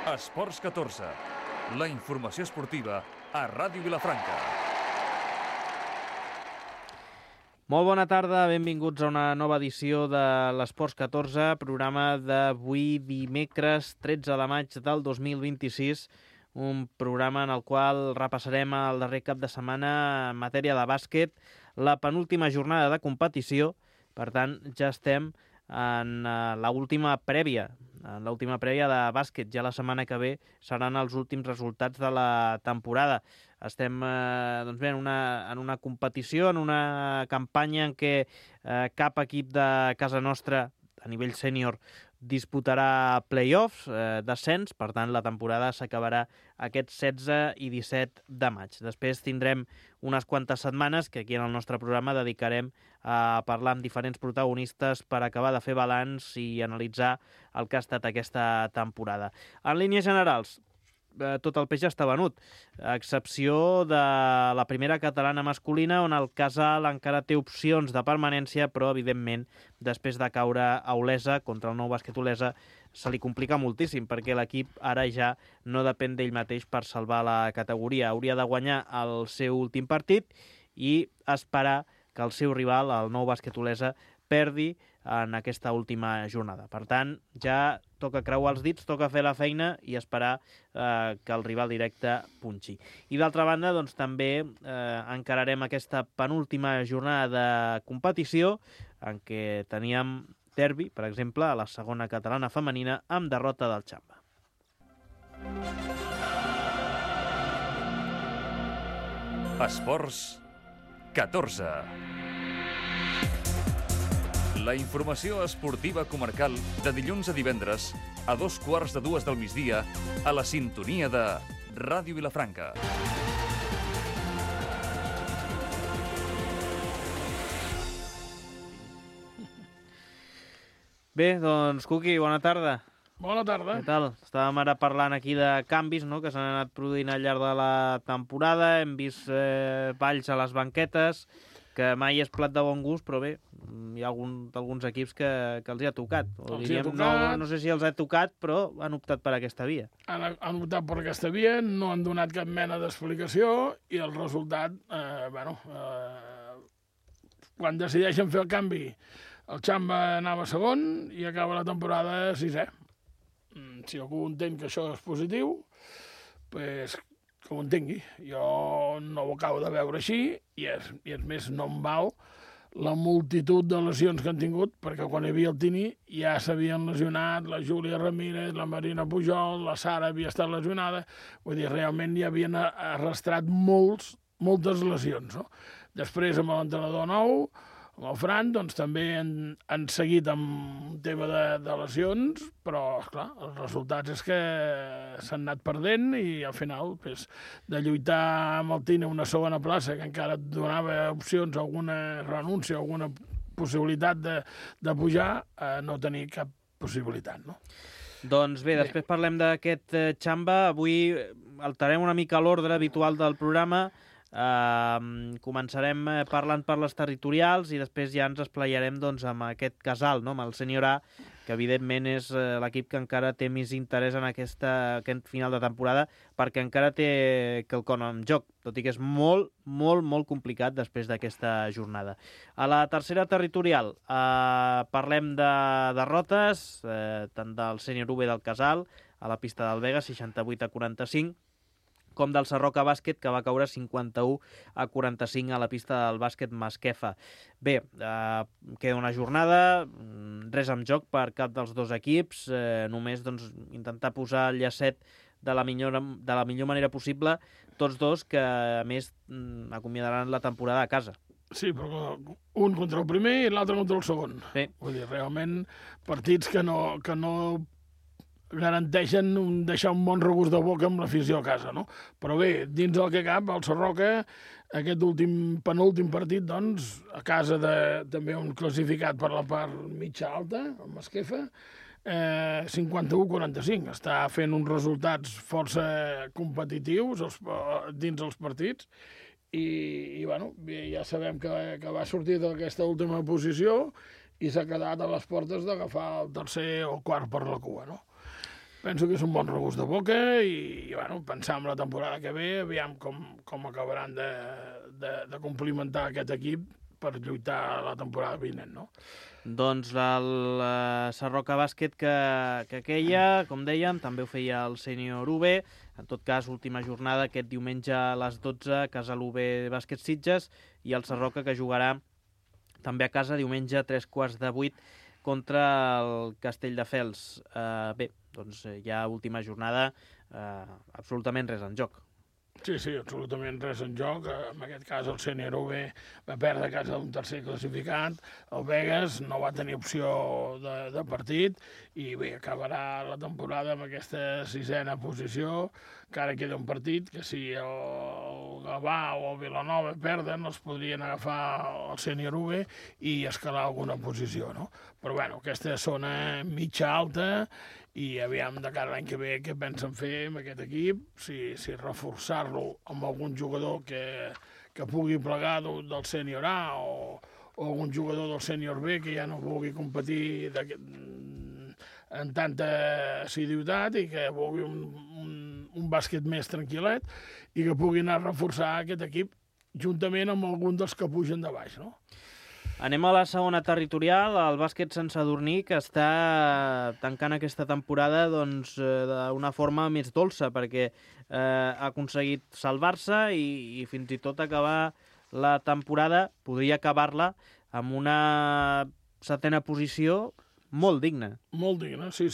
Esports 14, la informació esportiva a Ràdio Vilafranca. Molt bona tarda, benvinguts a una nova edició de l'Esports 14, programa d'avui dimecres 13 de maig del 2026, un programa en el qual repassarem el darrer cap de setmana en matèria de bàsquet, la penúltima jornada de competició. Per tant, ja estem en l'última prèvia de bàsquet. Ja la setmana que ve seran els últims resultats de la temporada. Estem en una competició, en una campanya en què cap equip de casa nostra a nivell sènior disputarà play-offs, descens, per tant la temporada s'acabarà aquest 16 i 17 de maig. Després tindrem unes quantes setmanes que aquí en el nostre programa dedicarem a parlar amb diferents protagonistes per acabar de fer balanç i analitzar el que ha estat aquesta temporada. En línies generals, tot el peix ja està venut, a excepció de la primera catalana masculina, on el Casal encara té opcions de permanència, però, evidentment, després de caure a Olesa, contra el Nou Bàsquet Olesa, se li complica moltíssim, perquè l'equip ara ja no depèn d'ell mateix per salvar la categoria. Hauria de guanyar el seu últim partit i esperar que el seu rival, el Nou Bàsquet Olesa, perdi en aquesta última jornada. Per tant, ja toca creuar els dits, toca fer la feina i esperar que el rival directe punxi. I d'altra banda, doncs, també encararem aquesta penúltima jornada de competició en què teníem derbi, per exemple, a la segona catalana femenina, amb derrota del Xamba. Esports 14. La informació esportiva comarcal de dilluns a divendres a 2:15 del migdia a la sintonia de Ràdio Vilafranca. Bé, doncs, Cuqui, bona tarda. Bona tarda. Què tal? Estàvem ara parlant aquí de canvis, no?, que s'han anat produint al llarg de la temporada. Hem vist balls a les banquetes, que mai és plat de bon gust, però bé, hi ha alguns equips que els hi ha tocat. No sé si els ha tocat, però han optat per aquesta via. Han optat per aquesta via, no han donat cap mena d'explicació i el resultat, quan decideixen fer el canvi, el Xamba anava segon i acaba la temporada sisè. Si algú entén que això és positiu, doncs que ho entengui. Jo no ho acabo de veure així i és més, no em val la multitud de lesions que han tingut, perquè quan hi havia el Tini ja s'havien lesionat la Júlia Ramírez, la Marina Pujol, la Sara havia estat lesionada, vull dir, realment ja havien arrastrat moltes lesions, no? Després, amb l'entrenador nou, amb el Fran, doncs també han seguit amb un tema de lesions, però, esclar, els resultats és que s'han anat perdent i al final, pues, de lluitar amb el Tini una segona plaça, que encara et donava opcions, alguna renúncia, alguna possibilitat de pujar, no tenir cap possibilitat, no? Doncs bé, després parlem d'aquest Xamba. Avui alterem una mica l'ordre habitual del programa. Començarem parlant per les territorials i després ja ens esplaiarem, doncs, amb aquest Casal, no?, amb el Sènior A, que evidentment és l'equip que encara té més interès en aquest final de temporada, perquè encara té quelcom en joc, tot i que és molt, molt, molt complicat després d'aquesta jornada. A la tercera territorial parlem de derrotes, tant del Sènior UB del Casal a la pista del Vega, 68-45, com del Sarroca Bàsquet, que va caure 51-45 a la pista del bàsquet Masquefa. Bé, queda una jornada, res en joc per cap dels dos equips, només, doncs, intentar posar el llacet de la millor manera possible, tots dos que, a més, acomiadaran la temporada a casa. Sí, però un contra el primer i l'altre contra el segon. Sí. Vull dir, realment, partits que no garanteixen deixar un bon regust de boca amb l'afició a casa, no? Però bé, dins del que cap, el Sarroca, aquest penúltim partit, doncs, a casa també un classificat per la part mitja alta, el Masquefa, 51-45. Està fent uns resultats força competitius dins els partits i bueno, ja sabem que va sortir d'aquesta última posició i s'ha quedat a les portes d'agafar el tercer o quart per la cua, no? penso que és un bon regust de boca i bueno, pensar en la temporada que ve, aviam com acabaran de complimentar aquest equip per lluitar la temporada vinent, no? Doncs el Sarroca Bàsquet que queia, com dèiem, també ho feia el sènior UB. En tot cas, última jornada aquest diumenge a les 12, casa l'UB Bàsquet Sitges, i el Sarroca que jugarà també a casa diumenge a 7:45 contra el Castelldefels. Bé, doncs ja última jornada, absolutament res en joc. Sí, absolutament res en joc. En aquest cas el sènior UB va perdre a casa d'un tercer classificat, el Vegas no va tenir opció de partit i bé, acabarà la temporada amb aquesta 6ena posició, que ara queda un partit que si el Gavà o el Vilanova perden els podrien agafar el sènior UB i escalar alguna posició, no? Però bueno, aquesta zona mitja alta i aviam de cara l'any que ve què pensen fer amb aquest equip, si reforçar-lo amb algun jugador que pugui plegar del sènior A o algun jugador del sènior B que ja no vulgui competir en tanta assiduïtat i que vulgui un bàsquet més tranquil·let i que pugui anar a reforçar aquest equip juntament amb algun dels que pugen de baix, no? Anem a la segona territorial, el bàsquet Sant Sadurní, que està tancant aquesta temporada d'una forma més dolça, perquè ha aconseguit salvar-se i fins i tot acabar la temporada, podria acabar-la amb una 7ena posició molt digna. Molt digna, sí.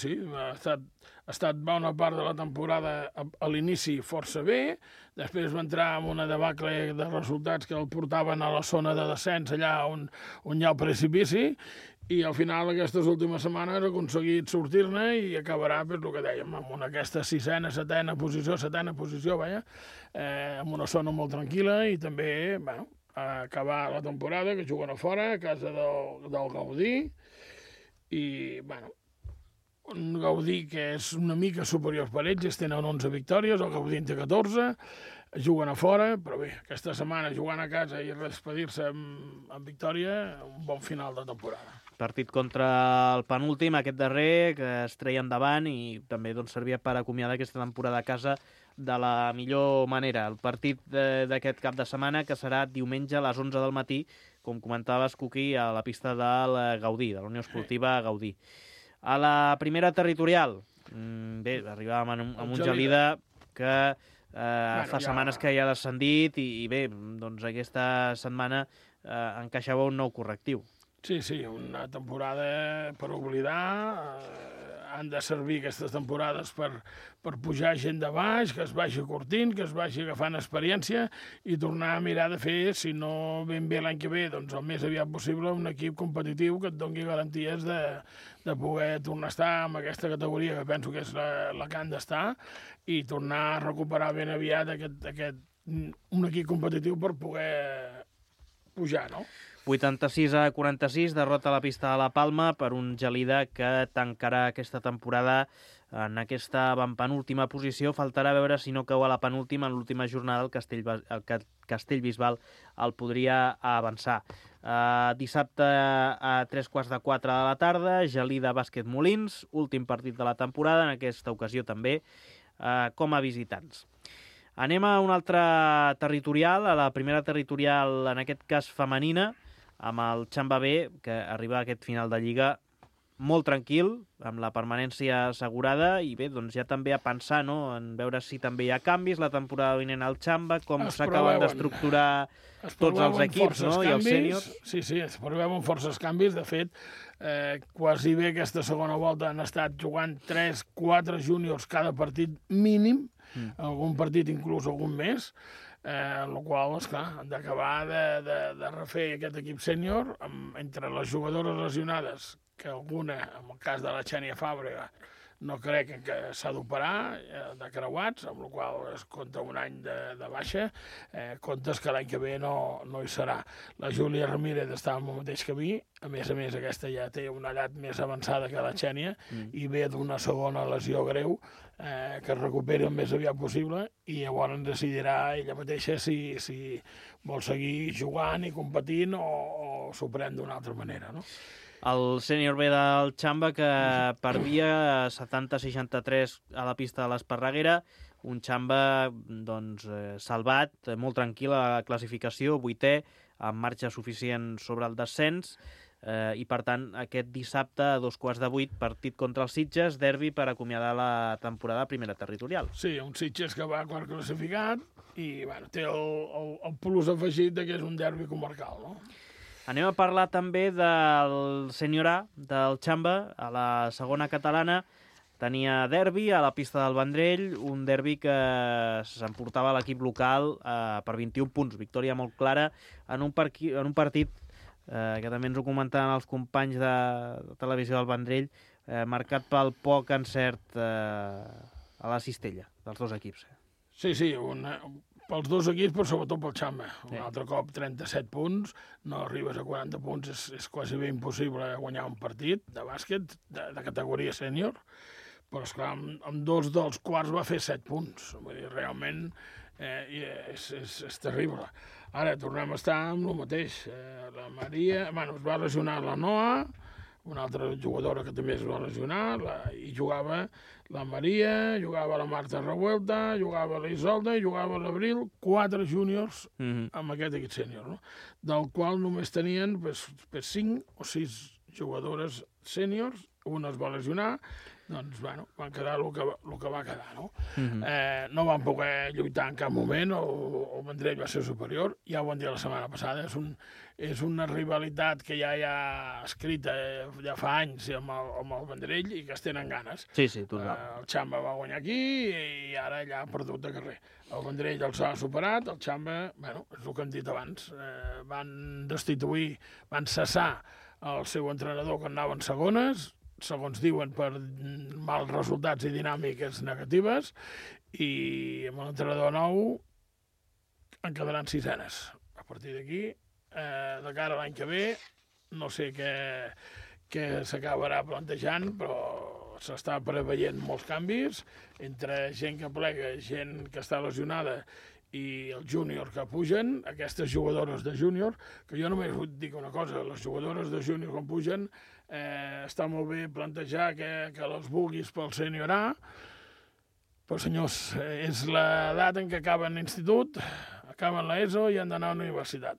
Ha estat bona part de la temporada a l'inici força bé, després va entrar en una debacle de resultats que el portaven a la zona de descens, allà on hi ha el precipici, i al final aquestes últimes setmanes ha aconseguit sortir-ne i acabarà, per el que dèiem, amb aquesta 6ena, 7ena posició, en una zona molt tranquil·la i també, bueno, acabar la temporada, que juguen a fora, a casa del Gaudí, i, bueno, un Gaudí que és una mica superior per ells, tenen 11 victòries, el Gaudí en té 14, juguen a fora, però bé, aquesta setmana jugant a casa i despedir-se amb victòria, un bon final de temporada. Partit contra el penúltim, aquest darrer, que es treia endavant i també servia per acomiadar aquesta temporada a casa de la millor manera. El partit d'aquest cap de setmana, que serà diumenge a les 11 del matí, com comentaves, Cuqui, a la pista del Gaudí, de la Unió Esportiva Gaudí. A la primera territorial, bé, arribàvem amb un Gelida que fa setmanes que ja ha descendit i bé, doncs aquesta setmana encaixava un nou correctiu. Sí, una temporada per oblidar. Han de servir aquestes temporades per pujar gent de baix, que es vagi curtint, que es vagi agafant experiència i tornar a mirar de fer, si no ben bé l'any que ve, doncs el més aviat possible, un equip competitiu que et doni garanties de poder tornar a estar en aquesta categoria, que penso que és la que han d'estar, i tornar a recuperar ben aviat un equip competitiu per poder pujar, no? 86-46, derrota a la pista de la Palma per un Gelida que tancarà aquesta temporada en aquesta penúltima posició. Faltarà veure si no cau a la penúltima. En l'última jornada el Castellbisbal el podria avançar. Dissabte a 3:15 de la tarda, Gelida Bàsquet Molins, últim partit de la temporada, en aquesta ocasió també com a visitants. Anem a una altra territorial, a la primera territorial, en aquest cas femenina, amb el Xamba B, que arriba a aquest final de Lliga molt tranquil, amb la permanència assegurada, i bé, doncs ja també a pensar, no?, en veure si també hi ha canvis la temporada vinent al Xamba, com s'acaben d'estructurar tots els equips, no?, i els sèniors. Sí, es preveuen forces canvis. De fet, quasi bé aquesta segona volta han estat jugant 3-4 júniors cada partit mínim, algun partit inclús algun més, el qual, esclar, han d'acabar de refer aquest equip sènior entre les jugadores lesionades, que alguna, en el cas de la Xènia Fàbrega, no crec que s'ha d'operar de creuats, amb la qual es compta un any de baixa, comptes que l'any que ve no hi serà. La Júlia Ramírez està en el mateix camí, a més, aquesta ja té una edat més avançada que la Xènia i ve d'una segona lesió greu, que es recuperi el més aviat possible i llavors decidirà ella mateixa si vol seguir jugant i competint o s'ho pren d'una altra manera, no? El sènior B del Xamba, que perdia 70-63 a la pista de l'Esparreguera, un Xamba doncs, salvat, molt tranquil a la classificació, 8è, amb marxa suficient sobre el descens, i per tant aquest dissabte a 7:15, partit contra els Sitges, derbi per acomiadar la temporada a primera territorial. Sí, un Sitges que va quart classificat i bueno, té el plus afegit que és un derbi comarcal, no? Anem a parlar també del sènior A, del Xamba, a la segona catalana. Tenia derbi a la pista del Vendrell, un derbi que s'emportava l'equip local per 21 punts. Victòria molt clara en un partit que també ens ho comentaven els companys de televisió del Vendrell, marcat pel poc encert a la cistella dels dos equips. Sí, pels dos equips, però sobretot pel Xamba. Un altre cop 37 punts, no arribes a 40 punts, és quasi bé impossible guanyar un partit de bàsquet de categoria sènior, però esclar, amb dos dels quarts va fer 7 punts. Vull dir, realment és terrible. Ara tornem a estar amb el mateix. La Maria, es va lesionar la Noa, una altra jugadora que també es va lesionar, i jugava la Maria, jugava la Marta Revuelta, jugava la Isolda i jugava l'Abril, 4 júniors amb aquest equip sènior, no? Del qual només tenien 5 o 6 jugadores sèniors, una es va lesionar, doncs, bueno, van quedar el que va quedar, no? No van poder lluitar en cap moment, el Vendrell va ser superior, ja ho vam dir la setmana passada, és una rivalitat que ja hi ha escrita ja fa anys amb el Vendrell i que es tenen ganes. Sí, total. El Xamba va guanyar aquí i ara ja ha perdut de carrer. El Vendrell els ha superat, el Xamba, bueno, és el que hem dit abans, van destituir, van cessar el seu entrenador que anava en segones, segons diuen, per mals resultats i dinàmiques negatives, i amb l'entrenador nou en quedaran 6enes. A partir d'aquí, de cara a l'any que ve, no sé què s'acabarà plantejant, però s'està preveient molts canvis, entre gent que plega, gent que està lesionada i els júniors que pugen, aquestes jugadores de júnior, que jo només vull dir una cosa, les jugadores de júnior quan pugen, està molt bé plantejar que les vulguis pel sènior A, però senyors, és l'edat en què acaben l'institut, acaben l'ESO i han d'anar a la universitat.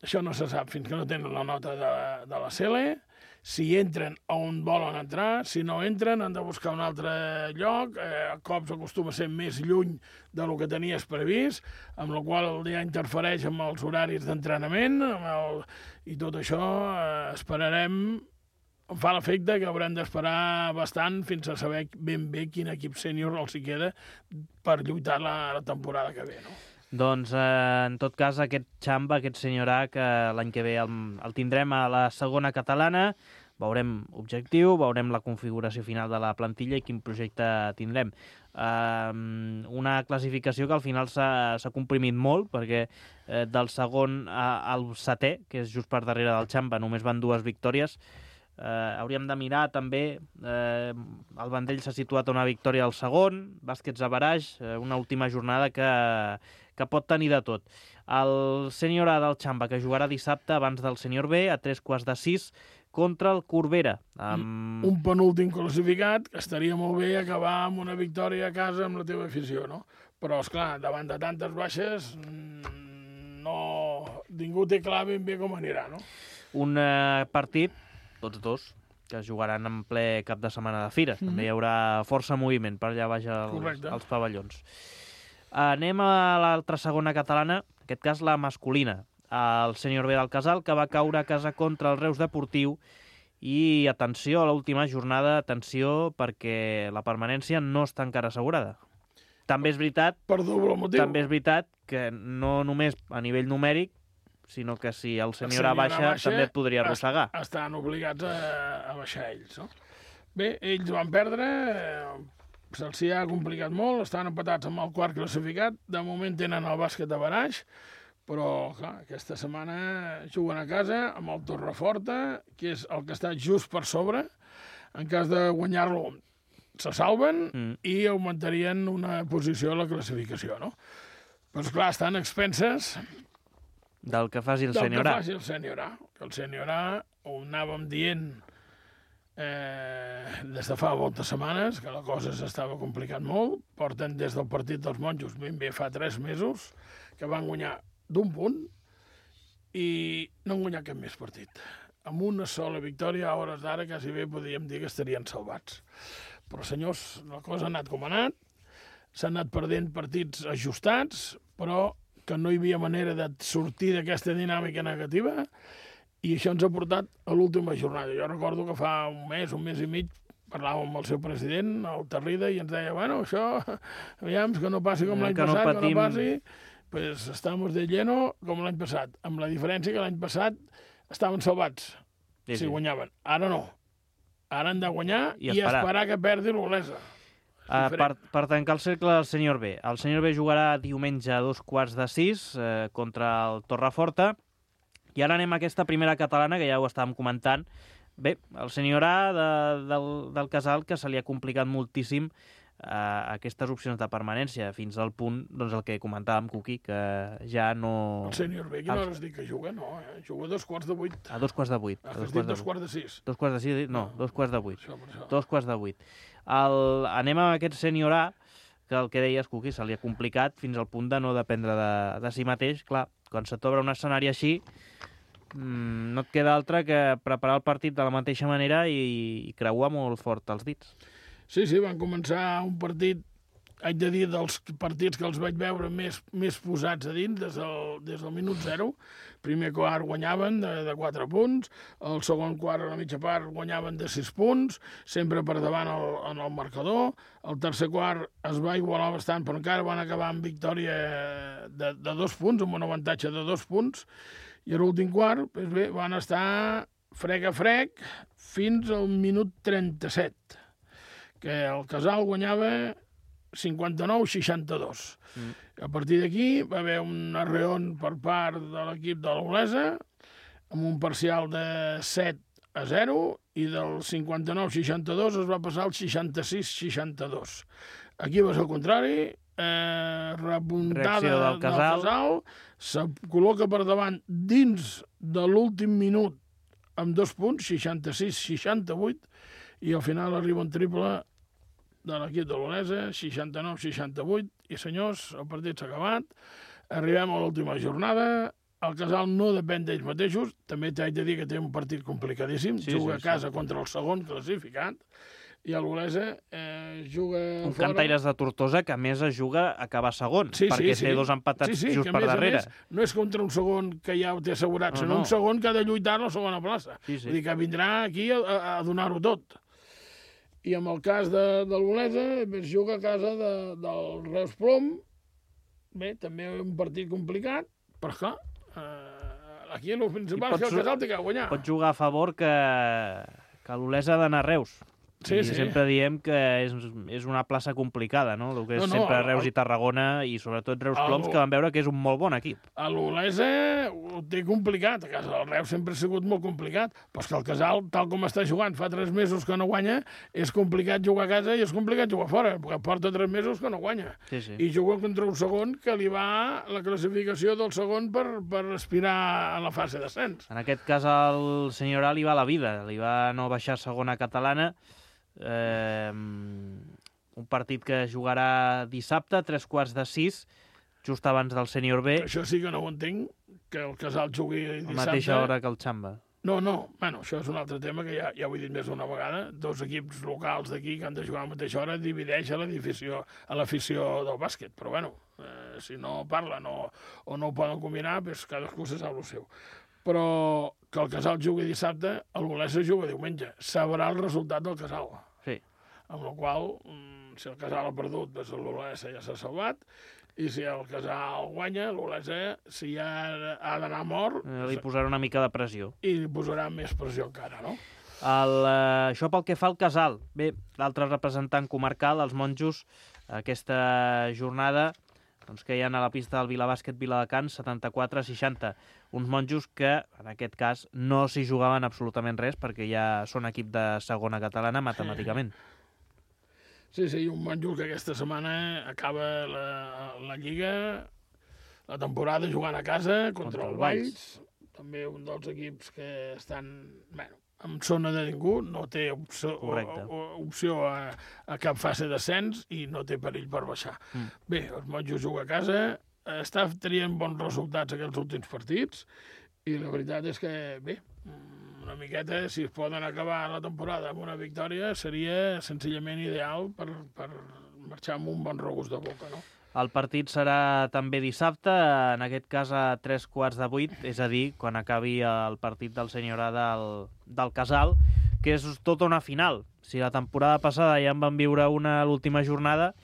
Això no se sap fins que no tenen la nota de la CELE. Si entren on volen entrar, si no entren han de buscar un altre lloc, a cops acostuma a ser més lluny del que tenies previst, amb la qual ja interfereix amb els horaris d'entrenament, i tot això esperarem, em fa l'efecte que haurem d'esperar bastant fins a saber ben bé quin equip sènior els hi queda per lluitar la temporada que ve, no? Doncs, en tot cas, aquest Xamba, aquest sènior A, que l'any que ve el tindrem a la segona catalana, veurem objectiu, veurem la configuració final de la plantilla i quin projecte tindrem. Una classificació que al final s'ha comprimit molt, perquè del segon al setè, que és just per darrere del Xamba, només van 2 victòries. Hauríem de mirar també, el Vendrell s'ha situat a una victòria al segon, Bàsquets a Baraix, una última jornada que pot tenir de tot. El sènior A del Xamba, que jugarà dissabte abans del sènior B, a 5:45, contra el Corbera. Un penúltim classificat, que estaria molt bé acabar amb una victòria a casa amb la teva afició, no? Però, esclar, davant de tantes baixes, ningú té clar ben bé com anirà, no? Un partit, tots dos, que es jugaran en ple cap de setmana de fira. També hi haurà força moviment per allà baix als pavellons. Anem a l'altra segona catalana, en aquest cas la masculina. El sènior B del Casal, que va caure a casa contra el Reus Deportiu, i atenció a l'última jornada, atenció, perquè la permanència no està encara assegurada. També és veritat, per doble motiu. També és veritat que no només a nivell numèric, sinó que si el sènior A baixa també et podria arrossegar. Estan obligats a baixar ells, no? Bé, ells van perdre, se'ls ha complicat molt, estan empatats amb el quart classificat, de moment tenen el Bàsquet a Baraix, però clar, aquesta setmana juguen a casa amb el Torreforta, que és el que està just per sobre. En cas de guanyar-lo se salven i augmentarien una posició a la classificació, no? Però esclar, estan expenses Del que faci el senyor A. Del que faci el senyor A. Que el senyor A ho anàvem dient des de fa moltes setmanes, que la cosa s'estava complicant molt. Porten des del partit dels monjos, ben bé fa 3 mesos, que van guanyar d'1 punt i no han guanyat cap més partit. Amb una sola victòria, a hores d'ara, quasi bé podríem dir que estarien salvats. Però, senyors, la cosa ha anat com ha anat, s'han anat perdent partits ajustats, però que no hi havia manera de sortir d'aquesta dinàmica negativa, i això ens ha portat a l'última jornada. Jo recordo que fa un mes i mig, parlàvem amb el seu president, el Tarrida, i ens deia, bueno, això, aviam, que no passi com l'any passat, que no passi, pues estamos de lleno com l'any passat, amb la diferència que l'any passat estaven salvats, si guanyaven. Ara no. Ara han de guanyar i esperar que perdi l'Olesa. Per tancar el cercle del senyor B. El senyor B jugarà diumenge a 5:45 contra el Torreforta. I ara anem a aquesta primera catalana, que ja ho estàvem comentant. Bé, el senyor A del Casal, que se li ha complicat moltíssim aquestes opcions de permanència, fins al punt, doncs el que comentàvem, Cuqui, que ja no... El senyor B, quina hora es diu que juga? No, juga a 7:45. A 7:45. Has dit 2:45. 2:45, no, 2:45. Això. 2:45. Anem a aquest senyor A, que el que deies, Cuqui, se li ha complicat fins al punt de no dependre de si mateix. Clar, quan se t'obre un escenari així, no et queda altre que preparar el partit de la mateixa manera i creuar molt fort els dits. Sí, van començar un partit, haig de dir, dels partits que els vaig veure més posats a dins des del minut 0. Primer quart guanyaven de 4 punts, el segon quart a la mitja part guanyaven de 6 punts, sempre per davant en el marcador. El tercer quart es va igualar bastant, però encara van acabar amb victòria de 2 punts, amb un avantatge de 2 punts, i a l'últim quart, doncs bé, van estar frec a frec fins al minut 37, que el Casal guanyava 59-62. A partir d'aquí va haver un arreón per part de l'equip de l'Olesa, amb un parcial de 7-0, i del 59-62 es va passar al 66-62. Aquí va ser el contrari, repuntada del Casal, se col·loca per davant dins de l'últim minut amb 2 punts, 66-68, i al final arriba un triple de l'equip de l'Olesa, 69-68, i senyors, el partit s'ha acabat, arribem a l'última jornada, el Casal no depèn d'ells mateixos, també t'haig de dir que té un partit complicadíssim, juga a casa contra el segon classificat, i l'Olesa juga un fora... Cantaires de Tortosa que a més es juga a acabar segon, perquè té 2 empatats just per darrere. No és contra un segon que ja ho té assegurat, sinó un segon que ha de lluitar a la segona plaça. Vull dir que vindrà aquí a donar-ho tot. I en el cas de l'Olesa, es juga a casa del Reus Plom. Bé, també un partit complicat, però clar, aquí el principal és que el Casal té que guanyar. Pot jugar a favor que l'Olesa ha d'anar a Reus. Sí. Sempre diem que és una plaça complicada, no? El que és sempre Reus i Tarragona, i sobretot Reus Ploms, que van veure que és un molt bon equip. A l'Olesa ho té complicat, a casa del Reus sempre ha sigut molt complicat, però és que el Casal, tal com està jugant, fa 3 mesos que no guanya, és complicat jugar a casa i és complicat jugar fora, perquè porta 3 mesos que no guanya. I juga contra un segon que li va la classificació del segon per aspirar a la fase d'ascens. En aquest cas al senyor A li va la vida, li va no baixar a segona catalana, un partit que jugarà dissabte, 5:45, just abans del sènior B. Això sí que no ho entenc, que el Casal jugui dissabte. A la mateixa hora que el Xamba. No, bueno, això és un altre tema que ja ho he dit més d'una vegada. 2 equips locals d'aquí que han de jugar a la mateixa hora divideix a l'afició del bàsquet, però bueno, si no parlen o no ho poden combinar, doncs cadascú se sap el seu. Però que el Casal jugui dissabte, el Olesa juga diumenge. Sabrà el resultat del Casal. Sí. Amb la qual cosa, si el Casal ha perdut, doncs l'Olesa ja s'ha salvat, i si el Casal guanya, l'Olesa, si ja ha d'anar mort... Li posarà una mica de pressió. I li posarà més pressió encara, no? Això pel que fa al Casal. Bé, l'altre representant comarcal, els monjos, aquesta jornada... doncs que hi ha a la pista del Vilabàsquet Viladecans, 74-60. Uns monjos que, en aquest cas, no s'hi jugaven absolutament res, perquè ja són equip de segona catalana matemàticament. Sí, un monjo que aquesta setmana acaba la Lliga la temporada jugant a casa contra el Valls, també un dels equips que estan en zona de ningú, no té opció a cap fase d'ascens i no té perill per baixar. Bé, els Monjos juga a casa, està traient bons resultats aquests últims partits i la veritat és que, bé, una miqueta, si es poden acabar la temporada amb una victòria, seria senzillament ideal per marxar amb un bon regust de boca, no? El partit serà també dissabte, en aquest cas a 7:45, és a dir, quan acabi el partit del Senior A del Casal, que és tota una final. Si la temporada passada ja en van viure una a l'última jornada,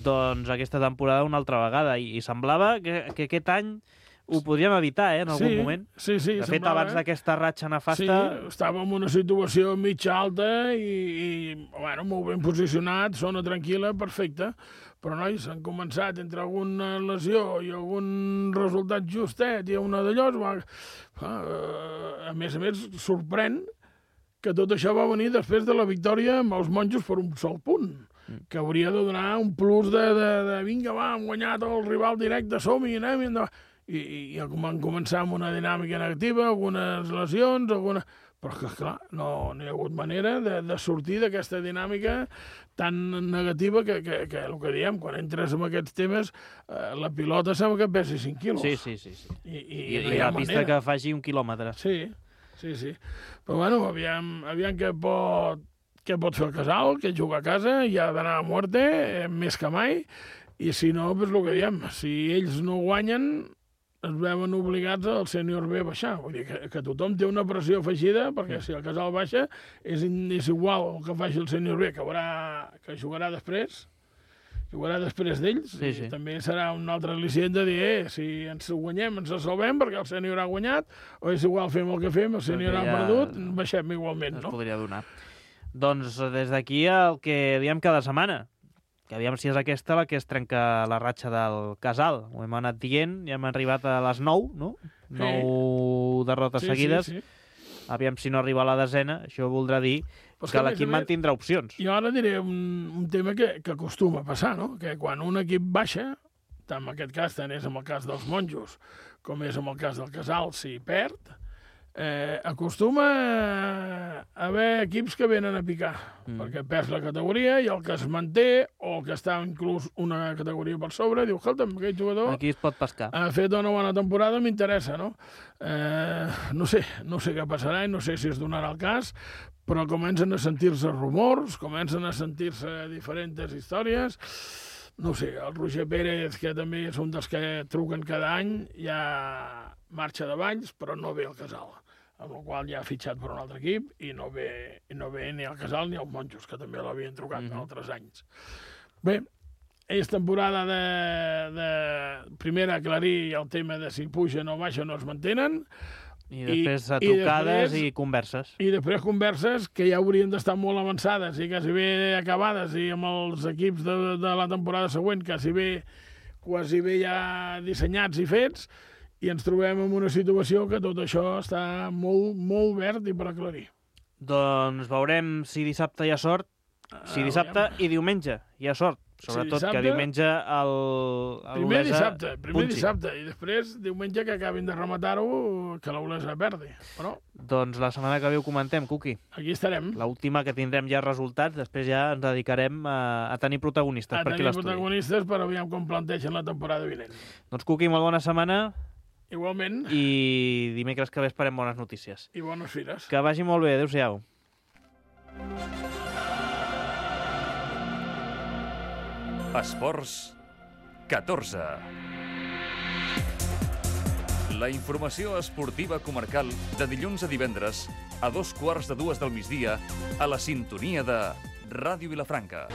doncs aquesta temporada una altra vegada. I semblava que aquest any ho podríem evitar, en algun moment. Sí, de fet, abans d'aquesta ratxa nefasta... Sí, estàvem en una situació mitja alta i molt ben posicionat, zona tranquil·la, perfecta. Però, nois, han començat entre alguna lesió i algun resultat justet i una d'allò. A més, sorprèn que tot això va venir després de la victòria amb els Monjos per un sol punt, que hauria de donar un plus de vinga, va, hem guanyat el rival directe, som-hi, anem i endavant. I van començar amb una dinàmica negativa, algunes lesions, però que, clar, no hi ha hagut manera de sortir d'aquesta dinàmica tan negativa que el que diem, quan entres en aquests temes, la pilota sembla que pesi 5 quilos. Sí. I no hi ha pista que faci 1 quilòmetre. Sí. Però, aviam què pot fer el Casal, que juga a casa, i ha d'anar a muerte, més que mai, i si no, doncs el que diem, si ells no guanyen, es veuen obligats al Sènior B a baixar. Vull dir que tothom té una pressió afegida, perquè si el Casal baixa és igual el que faci el Sènior B, que jugarà després d'ells, i també serà un altre al·licient de dir si ens guanyem, ens salvem, perquè el Sènior ha guanyat, o és igual, fem el que fem, el Sènior ha perdut, baixem igualment, no? Es podria donar. Doncs des d'aquí el que diem cada setmana, que aviam si és aquesta la que es trenca la ratxa del Casal. Ho hem anat dient, ja hem arribat a les 9, no? 9 derrotes seguides. Sí. Aviam si no arriba a la desena, això voldrà dir que l'equip mantindrà opcions. Jo ara diré un tema que acostuma a passar, no? Que quan un equip baixa, en aquest cas tant és en el cas dels Monjos com és en el cas del Casal, si perd, acostuma a haver equips que venen a picar, perquè perds la categoria i el que es manté, o el que està inclús una categoria per sobre, diu, escolta'm, aquest jugador aquí es pot pescar. Ha fet una bona temporada, m'interessa, no? No sé què passarà i no sé si es donarà el cas, però comencen a sentir-se rumors, comencen a sentir-se diferents històries. No sé, el Roger Pérez, que també és un dels que truquen cada any, ja marxa de Valls, però no ve al Casal, amb la qual ja ha fitxat per un altre equip i no ve ni al Casal ni als Monjos, que també l'havien trucat en altres anys. Bé, és temporada de primer aclarir el tema de si pugen o baixen o es mantenen, i després trucades i converses. I després converses que ja haurien d'estar molt avançades i quasi bé acabades, i amb els equips de la temporada següent quasi bé ja dissenyats i fets, i ens trobem en una situació que tot això està molt, molt verd i per aclarir. Doncs veurem si dissabte hi ha sort, si dissabte i diumenge hi ha sort. Sobretot que diumenge primer dissabte, i després diumenge que acabin de rematar-ho, que l'Olesa perdi. Però doncs la setmana que ve ho comentem, Cuqui. Aquí estarem. L'última que tindrem ja resultats, després ja ens dedicarem a tenir protagonistes per aquí l'estudi. Protagonistes per aviam com plantegen la temporada vinent. Doncs Cuqui, molt bona setmana. Igualment. I dimecres que ve esperem bones notícies. I bones fires. Que vagi molt bé, adéu-siau. Esports 14. La informació esportiva comarcal de dilluns a divendres a 2:15 del migdia a la sintonia de Ràdio Vilafranca.